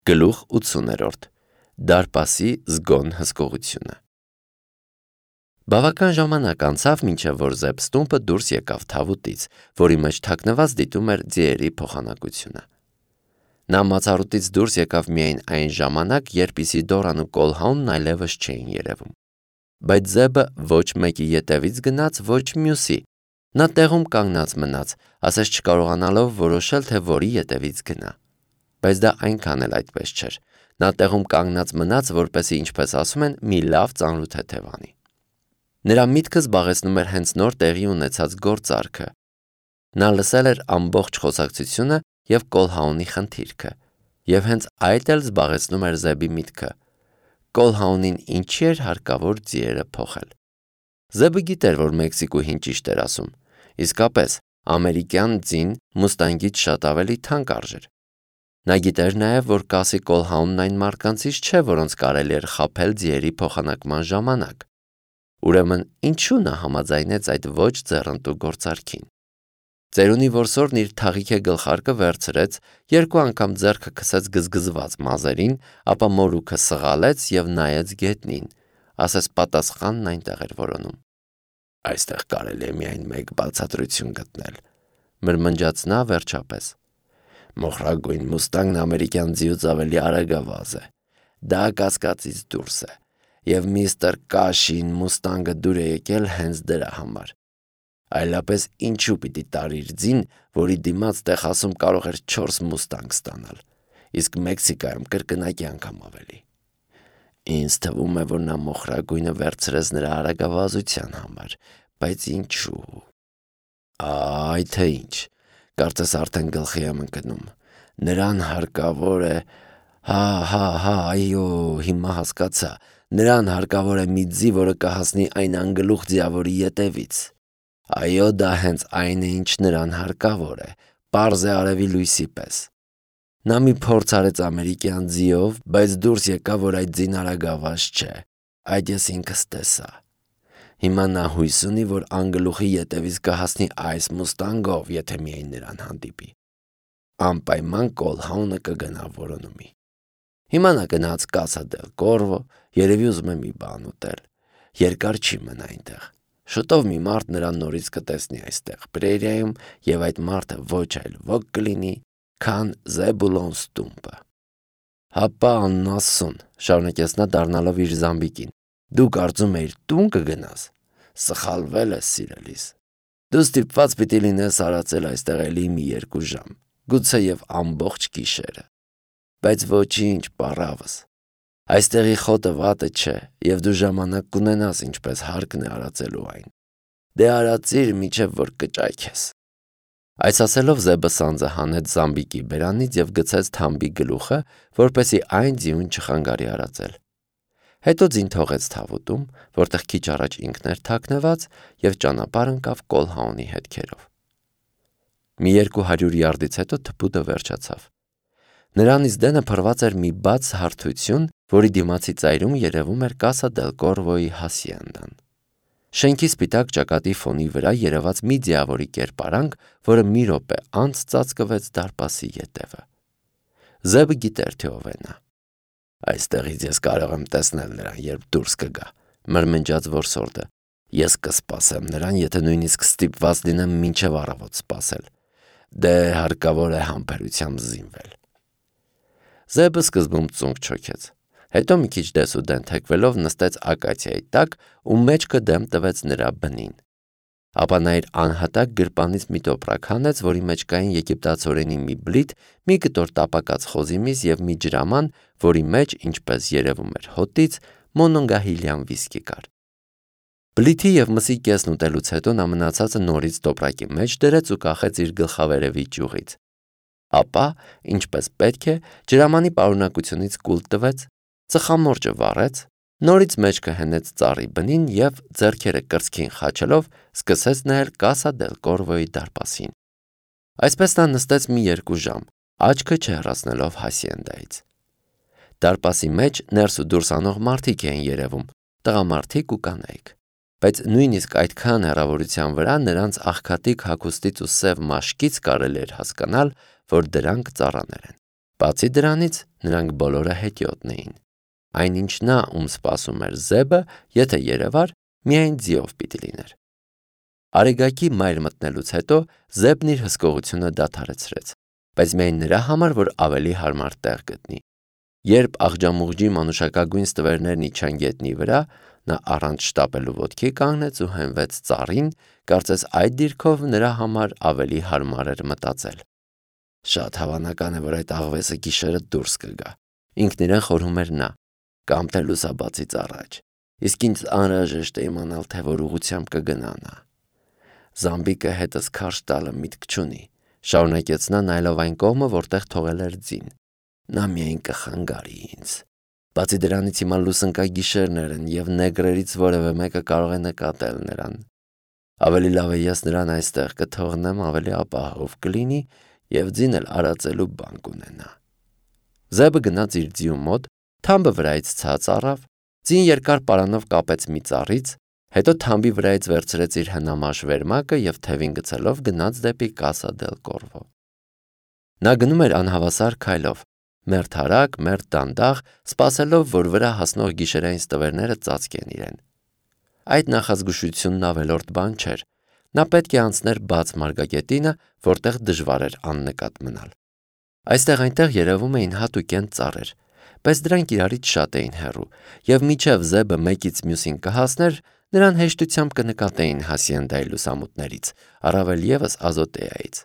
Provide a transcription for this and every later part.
Գլուխ 80-րդ Դարպասի զգոն հսկողությունը Բավական ժամանակ անցավ, մինչև որ Զեբ Ստումպը դուրս եկավ թավուտից, որի մեջ թաքնված դիտում էր ձիերի փոխանակությունը։ Նա մացառուտից դուրս եկավ միայն այն ժամանակ, երբ Իսիդորան ու Կոլհաունն այլևս չէին երևում։ Բայց Զեբը ոչ մեկի ետևից գնաց, ոչ մյուսի։ Նա տեղում կանգնած մնաց, ասես չկարողանալով որոշել, թե որի ետևից գնա։ Բայց դա այնքան էլ այդպես չէր։ Նա տեղում կանգնած մնաց, որպեսզի, ինչպես ասում են, մի լավ ծանրութ թեթև անի։ Նրա միտքը զբաղեցնում էր հենց նոր տեղի ունեցած գործարքը։ Նա լսել էր ամբողջ խոսակցությունը և Կոլհաունի խնդիրքը, և հենց այդ էլ զբաղեցնում էր Զեբի միտքը։ Կոլհաունին ինչի էր հարկավոր ձիերը փոխել։ Զեբը գիտեր, որ Մեքսիկուհին ճիշտ էր ասում։ Իսկապես, ամերիկյան ձին մուստանգից շատ ավելի թանկ արժեր։ Նա գիտեր նաև, որ կասի Կոլհաունն այն մարդկանցից չէ, որոնց կարելի էր խաբել ձիերի փոխանակման ժամանակ։ Ուրեմն ինչու նա համաձայնեց այդ ոչ ձեռնտու գործարքին։ Ծերունի որսորդն իր թաղիքե գլխարկը վերցրեց, 2 անգամ ձեռքը քսեց գզգզված մազերին, ապա մորուքը սղալեց և նայեց գետնին, ասես պատասխանն այնտեղ էր որոնում։ Այստեղ կարելի է միայն մեկ բացատրություն գտնել, մրմնջաց նա վերջապես։ Մոխրագույն մուստանգն ամերիկյան ձիուց ավելի արագավազ է։ Դա կասկածից դուրս է, և միստր Կաշին մուստանգը դուր է եկել հենց դրա համար։ Այլապես ինչու պիտի տարիր ձին, որի դիմաց Տեխասում կարող էր 4 մուստանգ ստանալ, իսկ Մեքսիկայում կրկնակի անգամ ավելի։ Ինձ թվում է, որ նա մոխրագույնը վերցրեց նրա արագավազության համար, բայց ինչու։ Այ թե ինչ, կարծես արդեն գլխի եմ ընկնում։ Նրան հարկավոր է… այո, հիմա հասկացա։ Նրան հարկավոր է մի ձի, որը կհասնի այն անգլուխ ձիավորի ետևից։ Այո, դա հենց այն է, ինչ նրան հարկավոր է, պարզ է արևի լույսի պես։ Նա մի փորձ արեց ամերիկյան ձիով, բայց դուրս եկավ, որ այդ ձին արագավազ չէ։ Այդ ես ինքս տեսա։ Հիմա նա հույս ունի, որ անգլուխի ետևից կհասնի այս մուստանգով, եթե միայն նրան հանդիպի։ Անպայման Կոլհաունը կգնա որոնումի։ Հիմա նա գնաց Կասա դել Կորվո, երևի ուզում է մի բան ուտել։ Երկար չի մնա այնտեղ։ Շուտով մի մարդ նրան նորից կտեսնի այստեղ պրերիայում, և այդ մարդը ոչ այլ ոք կլինի, քան Զեբուլոն Ստումպը։ Հապա անասուն, շարունակեց նա դառնալով իր զամբիկին, դու կարծում էիր տուն կգնաս։ Սխալվել ես, սիրելիս։ Դու ստիպված պիտի լինես արածել այստեղ էլի մի 2 ժամ, գուցեև ամբողջ գիշերը։ Բայց ոչինչ, պառավս։ Այստեղի խոտը վատը չէ, և դու ժամանակ կունենաս, ինչպես հարկն է արածելու այն։ Դե արածիր, մինչև որ կճայքես։ Այս ասելով Զեբը սանձը հանեց զամբիկի բերանից և գցեց թամբի գլուխը, որպեսզի այն ձիուն չխանգարի արածել։ Հետո ձին թողեց թավուտում, որտեղ քիչ առաջ ինքն էր թաքնված, և ճանապարհ ընկավ Կոլհաունի հետքերով։ Մի 200 յարդից հետո թփուտը վերջացավ։ Նրանից դենը փռված էր մի բաց հարթություն, որի դիմացի ծայրում երևում էր Կասա դել Կորվոյի հասիենդան։ Շենքի սպիտակ ճակատի ֆոնի վրա երևաց մի ձիավորի կերպարանք, որը մի րոպե անց ծածկվեց դարպասի ետևը։ Զեբը գիտեր, թե ով է նա։ Այստեղից ես կարող եմ տեսնել նրան, երբ դուրս կգա, մրմնջաց որսորդը։ Ես կսպասեմ նրան, եթե նույնիսկ ստիպված լինեմ մինչև առավոտ սպասել։ Դե հարկավոր է համբերությամբ զինվել։ Զեբը սկզբում ծունկ չոքեց, հետո մի քիչ դեսուդեն թեքվելով նստեց ակացիայի տակ ու մեջքը դեմ տվեց նրա բնին։ Ապա նա իր անհատակ գրպանից մի տոպրակ հանեց, որի մեջ կային եգիպտացորենի մի բլիթ, մի կտոր տապակած խոզի միս և մի ջրաման, որի մեջ, ինչպես երևում էր հոտից, մոնոնգահիլյան վիսկի կար։ Բլիթի և մսի կեսն ուտելուց հետո նա մնացածը նորից տոպրակի մեջ դրեց ու կախեց իր գլխավերևի ճյուղից։ Ապա, ինչպես պետք է, ջրամանի պարունակությունից կուլ տվեց, ծխամորճը վառեց, նորից մեջքը հենեց ծառի բնին և, ձեռքերը կրծքին խաչելով, սկսեց նայել Կասա դել Կորվոյի դարպասին։ Այսպես նա նստեց մի 2 ժամ, աչքը չհեռացնելով հասիենդայից։ Դարպասի մեջ ներս ու դուրս անող մարդիկ էին երևում, տղամարդիկ ու կանայք։ Բայց նույնիսկ այդքան հեռավորության վրա նրանց աղքատիկ հագուստից ու սև մաշկից կարելի էր հասկանալ, որ դրանք ծառաներ են։ Բացի դրանից նրանք բոլորը հետիոտն էին։ Այնինչ նա, ում սպասում էր Զեբը, եթե երևար, միայն ձիով պիտի լիներ։ Արեգակի մայր մտնելուց հետո Զեբն իր հսկողությունը դադարեցրեց, բայց միայն նրա համար, որ ավելի հարմար տեղ գտնի։ Երբ աղջամուղջի մանուշակագույն ստվերներն իջան գետնի վրա, նա առանց շտապելու ոտքի կանգնեց ու հենվեց ծառին, կարծես այդ դիրքով նրա համար ավելի հարմար էր մտածել։ Շատ հավանական է, որ այդ աղվեսը գիշերը դուրս կգա, ինքն իրեն խորհում էր նա, կամ թե լուսաբացից առաջ, իսկ ինձ անհրաժեշտ է իմանալ, թե որ ուղղությամբ կգնա նա։ Զամբիկը հետս քարշ տալը միտք չունի, շարունակեց նա նայելով այն կողմը, որտեղ թողել էր ձին։ Նա միայն կխանգարի ինձ։ Բացի դրանից հիմա լուսնկա գիշերներ են և նեգրերից որևէ մեկը կարող է նկատել նրան։ Ավելի լավ է ես նրան այստեղ կթողնեմ, ավելի ապահով կլինի և ձին էլ արածելու բան կունենա։ Զեբը գնաց իր ձիու մոտ, թամբը վրայից ցած առավ, ձին երկար պարանով կապեց մի ծառից, հետո թամբի վրայից վերցրեց իր հնամաշ վերմակը և թևին գցելով գնաց դեպի Կասա դել Կորվո։ Նա գնում էր անհավասար քայլով, մերթարակ, մերթ դանդաղ, սպասելով, որ վրա հասնող գիշերային ստվերները ծածկեն իրեն։ Այդ նախազգուշությունն ավելորդ բան չէր։ Նա պետք է անցներ բաց մարգագետինը, որտեղ դժվար էր աննկատ մնալ։ Այստեղ-այնտեղ երևում էին հատուկենտ ծառեր, բայց դրանք իրարից շատ էին հեռու, և մինչև Զեբը մեկից մյուսին կհասներ, նրան հեշտությամբ կնկատեին հասիենդայի լուսամուտներից, առավել ևս Ազոտեայից։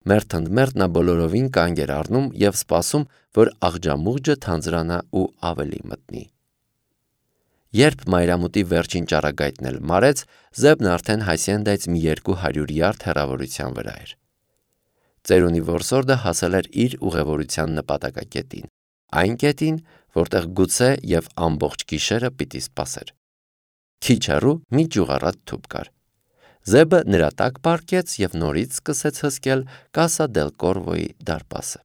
Մերթ ընդ մերթ նա բոլորովին կանգ էր առնում և սպասում, որ աղջամուղջը թանձրանա ու ավելի մտնի։ Երբ մայրամուտի վերջին ճառագայթն էլ մարեց, Զեբն արդեն հասիենդայից մի 200 յարդ հեռավորության վրա էր։ Ծերունի որսորդը հասել էր իր ուղևորության նպատակակետին, այն կետին, որտեղ գուցե և ամբողջ գիշերը պիտի սպասեր։ Քիչ հեռու մի ճյուղառատ թուփ կար։ Զեբը նրա տակ պառկեց և նորից սկսեց հսկել Կասա դել Կորվոյի դարպասը։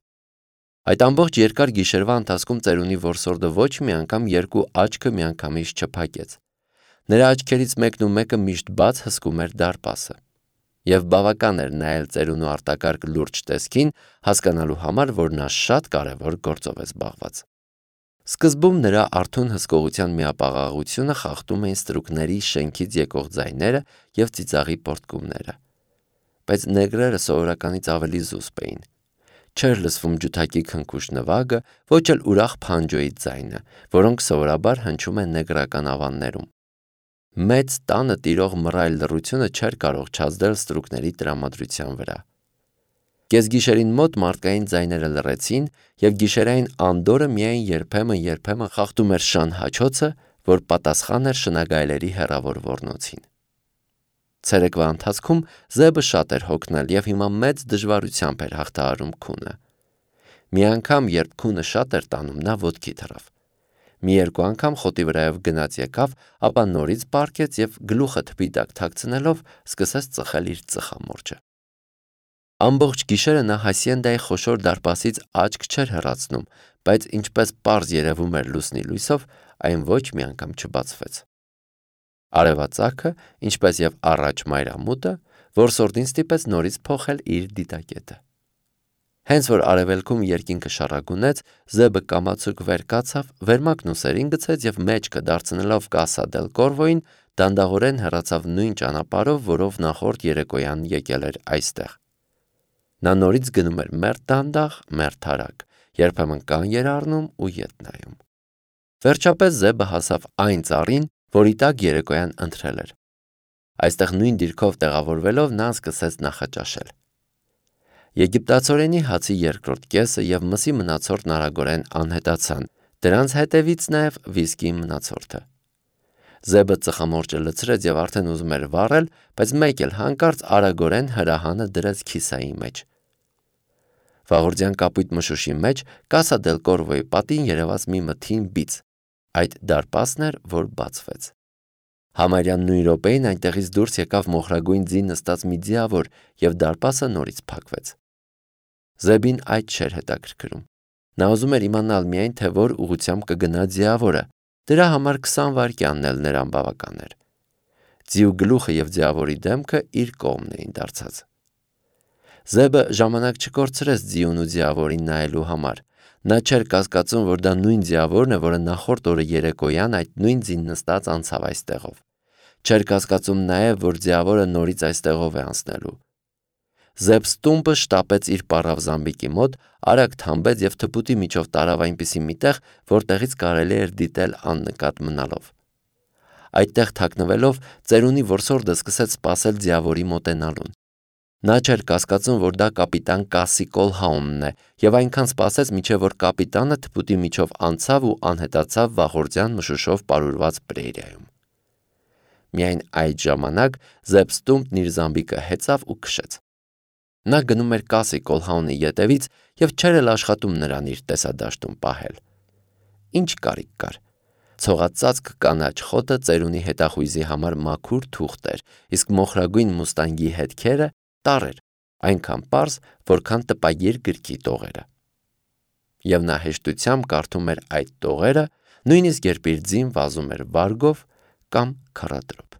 Այդ ամբողջ երկար գիշերվա ընթացքում ծերունի որսորդը ոչ մի անգամ երկու աչքը միանգամից չփակեց։ Նրա աչքերից մեկն ու մեկը միշտ բաց հսկում էր դարպասը։ Եվ բավական էր նայել ծերունու արտակարգ լուրջ տեսքին, հասկանալու համար, որ նա շատ կարևոր գործով է զբաղված։ Սկզբում նրա արթուն հսկողության միապաղաղությունը խախտում էին ստրուկների շենքից եկող ձայները և ծիծաղի պոռթկումները։ Բայց նեգրերը սովորականից ավելի զուսպ էին։ Չէր լսվում ջութակի քնքուշ նվագը, ոչ էլ ուրախ փանջոյի ձայնը, որոնք սովորաբար հնչում են նեգրական ավաններում։ Մեծ տանը տիրող մռայլ լռությունը չէր կարող չազդել ստրուկների տրամադրության վրա։ Կեսգիշերին մոտ մարդկային ձայները լռեցին, և գիշերային անդորրը միայն երբեմն խախտում էր շան հաչոցը, որ պատասխան էր շնագայլերի հեռավոր ոռնոցին։ Ցերեկվա ընթացքում Զեբը շատ էր հոգնել և հիմա մեծ դժվարությամբ էր հաղթահարում քունը։ Մի անգամ, երբ քունը շատ էր տանում, նա ոտքի թռավ։ Մի երկու անգամ խոտի վրայով գնաց եկավ, ապա նորից պառկեց և գլուխը թփի տակ թաքցնելով սկսեց ծխել իր ծխամորճը։ Ամբողջ գիշերը նա հասիենդայի խոշոր դարպասից աչք չէր հեռացնում, բայց ինչպես պարզ երևում էր լուսնի լույսով, այն ոչ մի անգամ չբացվեց։ Արևածագը, ինչպես և առաջ մայրամուտը, որսորդին ստիպեց նորից փոխել իր դիտակետը։ Հենց որ արևելքում երկինքը շառագունեց, Զեբը կամացուկ վեր կացավ, վերմակն ուսերին գցեց և մեջքը դարձնելով Կասա դել Կորվոյին, դանդաղորեն հեռացավ նույն ճանապարհով, որով նախորդ երեկոյան եկել էր այստեղ։ Նա նորից գնում էր մերթ դանդաղ, մերթարակ, երբեմն կանգ էր առնում ու ետ նայում։ Վերջապես Զեբը հասավ այն ծառին, որի տակ երեկոյան ընթրել էր։ Այստեղ նույն դիրքով տեղավորվելով նա սկսեց նախաճաշել։ Եգիպտացորենի հացի երկրորդ կեսը և մսի մնացորդն արագորեն անհետացան, դրանց հետևից նաև վիսկիի մնացորդը։ Զեբը ծխամորճը լցրեց և արդեն ուզում էր վառել, բայց մեկ էլ հանկարծ արագորեն հրահանը դրեց քիսայի մեջ։ Վաղորդյան կապույտ մշուշի մեջ Կասա դել Կորվոյի պատին երևաց մի մթին բիծ։ Այդ դարպասն էր, որ բացվեց։ Համարյա նույն րոպեին այնտեղից դուրս եկավ մոխրագույն ձի նստած մի ձիավոր, և դարպասը նորից փակվեց։ Զեբին այդ չէր հետաքրքրում։ Նա ուզում էր իմանալ միայն, թե որ ուղղությամբ կգնա ձիավորը։ Դրա համար 20 վայրկյանն էլ նրան բավական էր։ Ձիու գլուխը և ձիավորի դեմքը իր կողմն էին դարձած։ Զեբը ժամանակ չկորցրեց ձիուն ու ձիավորին նայելու համար։ Նա չէր կասկածում, որ դա նույն ձիավորն է, որը նախորդ օրը երեկոյան այդ նույն ձին նստած անցավ այստեղով։ Չէր կասկածում նաև, որ ձիավորը նորից այստեղով է անցնելու։ Զեբ Ստումպը շտապեց իր պառավ զամբիկի մոտ, արագ թամբեց և թփուտի միջով տարավ այնպիսի մի տեղ, որտեղից կարելի էր դիտել աննկատ մնալով։ Այդտեղ թաքնվելով, ծերունի որսորդը սկսեց սպասել ձիավորի մոտենալուն։ Նա չէր կասկածում, որ դա կապիտան Կասի Կոլհաումն է, և այնքան սպասեց, մինչև որ կապիտանը թփուտի միջով անցավ ու անհետացավ վաղորդյան մշուշով պարուրված պրերիայում։ Միայն այդ ժամանակ Զեբ Ստումպն իր զամբիկը հեծավ ու քշեց։ Նա գնում էր Կասի Կոլհաունի ետևից և չէր էլ աշխատում նրան իր տեսադաշտում պահել։ Ինչ կարիք կար։ Ցողածածկ կանաչ խոտը ծերունի հետախույզի համար մաքուր թուղթ էր, իսկ մոխրագույն մուստանգի հետքերը տառ էր, այնքան պարզ, որքան տպագիր գրքի տողերը։ Եվ նա հեշտությամբ կարդում էր այդ տողերը, նույնիսկ երբ իր ձին վազում էր վարգով կամ քառադրով։